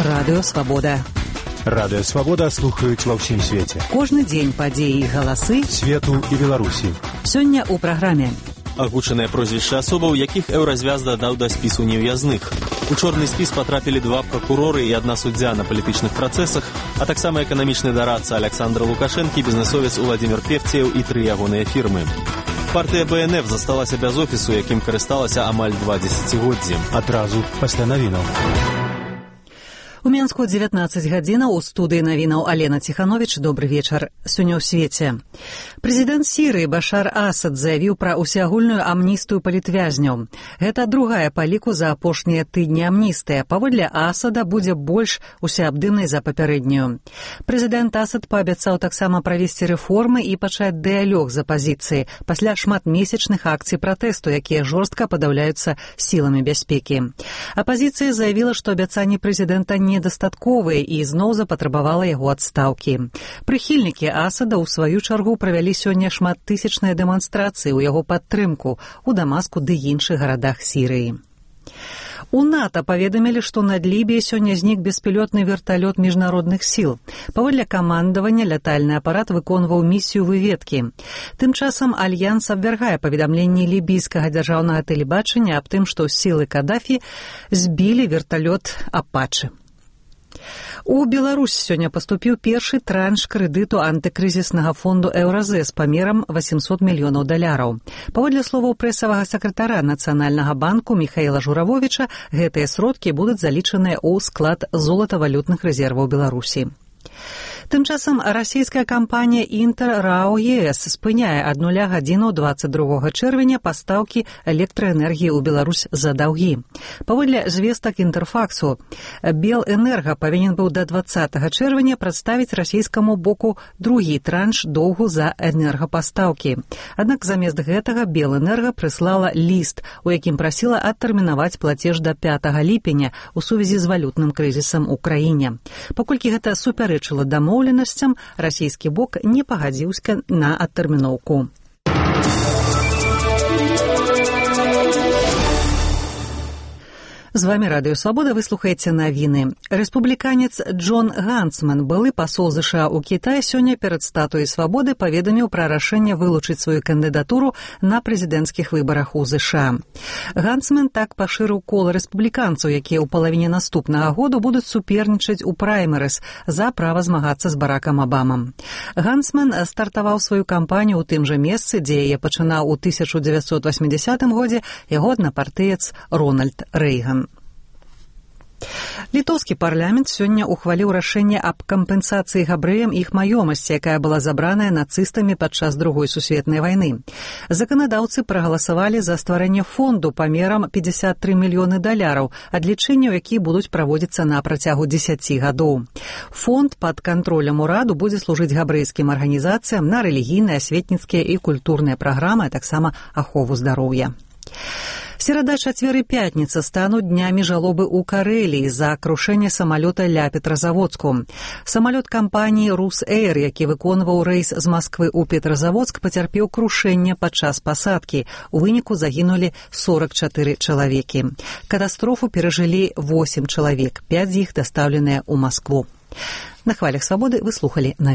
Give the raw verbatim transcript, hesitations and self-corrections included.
Радыё Свабода. Радыё Свабода слухаюць ва ўсім свеце. Кожны дзень падзеі і галасы свету і Беларусі. Сёння ў праграме. Агучаныя прозвішчы асобаў, якіх Еўразвяз дадаў да спісу нев'язных. У чорны спіс патрапілі два пракуроры і адна суддзя на палітычных працэсах, а таксама эканамічны дарадца Александра Лукашэнкі, бізнесовец Уладзімір Певцеў і тры ягоныя фірмы. Партыя бэ эн эф засталася без офісу, якім карысталася амаль два дзесяцігоддзі. Адразу пасля навінаў. У Менску дзевятнаццаць гадзінаў, у студыі навінаў Алена Ціхановіч. Добры вечар. Сёння ў свеце. Прэзідэнт Сірыі Башар Асад заявіў пра усеагульную амністыю палітвязняў. Гэта другая па ліку за апошнія тыдні амністыя. Паводле Асада будзе больш усеабдымнай за папярэднюю. Прэзідэнт Асад паабяцаў таксама правесці рэформы і пачаць дыялог з апазіцыяй пасля шматмесячных акцый пратэсту, якія жорстка падаўляюцца сіламі бяспекі. Апазіцыя заявіла, што абяцанні прэзідэнта не недастатковыя і зноў запатрабавала яго адстаўкі. Прыхільнікі Асада ў сваю чаргу правялі сёння шматтысячныя дэманстрацыі ў яго падтрымку ў Дамаску ды іншых гарадах Сірыі. У НАТО паведамілі, што над Лібіяй сёння знік беспілотны верталёт міжнародных сіл. Паводле камандавання лятальны апарат выконваў місію выведкі. Тым часам Альянс абвяргае паведамленні лібійскага дзяржаўнага тэлебачання аб тым, што сілы Кадафі збілі верталёт Апачы. У Беларусь сёння паступіў першы транш крэдыту антыкрызіснага фонду Еўразэс памерам восемьсот мільёнаў даляраў. Паводле словаў прэсавага сакратара Нацыянальнага банку Міхаіла Журавовіча, гэтыя сродкі будуць залічаныя ў склад золатавалютных рэзерваў Беларусі. Тым часам расійская кампанія Інтэр РАО ЕС спыняе ад нуля гадзінаў дваццаць другога чэрвеня пастаўкі электраэнергіі ў Беларусь за даўгі. Паводле звестак Інтэрфаксу, Белэнерга павінен быў да дваццатага чэрвеня прадставіць расійскаму боку другі транш доўгу за энергапастаўкі. Аднак замест гэтага Белэнерга прыслала ліст, у якім прасіла адтэрмінаваць плацеж да пятага ліпеня ў сувязі з валютным крызісам у краіне. Паколькі гэта супярэчыла дамоўленасцям, расійскі бок не пагадзіўся на адтэрміноўку. З вами Радыё Свабода, вы слухаеце навіны. Рэспубліканец Джон Гансман, былы пасол ЗША ў Кітаі, сёння перад статуяй Свабоды паведаміў пра рашэнне вылучыць сваю кандыдатуру на прэзідэнцкіх выбарах у ЗША. Гансман так пашырыў кола рэспубліканцаў, якія ў палавіне наступнага году будуць супернічаць у праймерыс за права змагацца з Баракам Абамам. Гансман стартаваў сваю кампанію ў тым жа месцы, дзе яе пачынаў у тысяча дзевяцьсот васьмідзясятым годзе яго аднапартыец Рональд Рэйган. Літоўскі парламент сёння ухваліў рашэнне аб кампенсацыі габрэям іх маёмасці, якая была забраная нацыстамі падчас другой сусветнай вайны. Заканадаўцы прагаласавалі за стварэнне фонду памерам пятьдесят три мільёны даляраў, адлічэнняў які будуць праводзіцца на працягу дзесяці гадоў. Фонд пад кантролем ураду будзе служыць габрэйскім арганізацыям на рэлігійныя, асветніцкія і культурныя праграмы, а таксама ахову здароўя. Серада, чацвер і пятніца стануць днямі жалобы ў Карэліі за крушэнне самалёта ля Петразаводску. Самалёт кампаніі «Рус-Эйр», які выконваў рэйс з Масквы ў Петразаводск, пацярпеў крушэнне падчас пасадкі. У выніку загінулі сорок чатыры чалавекі. Катастрофу перажылі восем чалавек, пяць з іх дастаўленыя ў Маскву. На хвалях Свабоды вы слухалі навіны.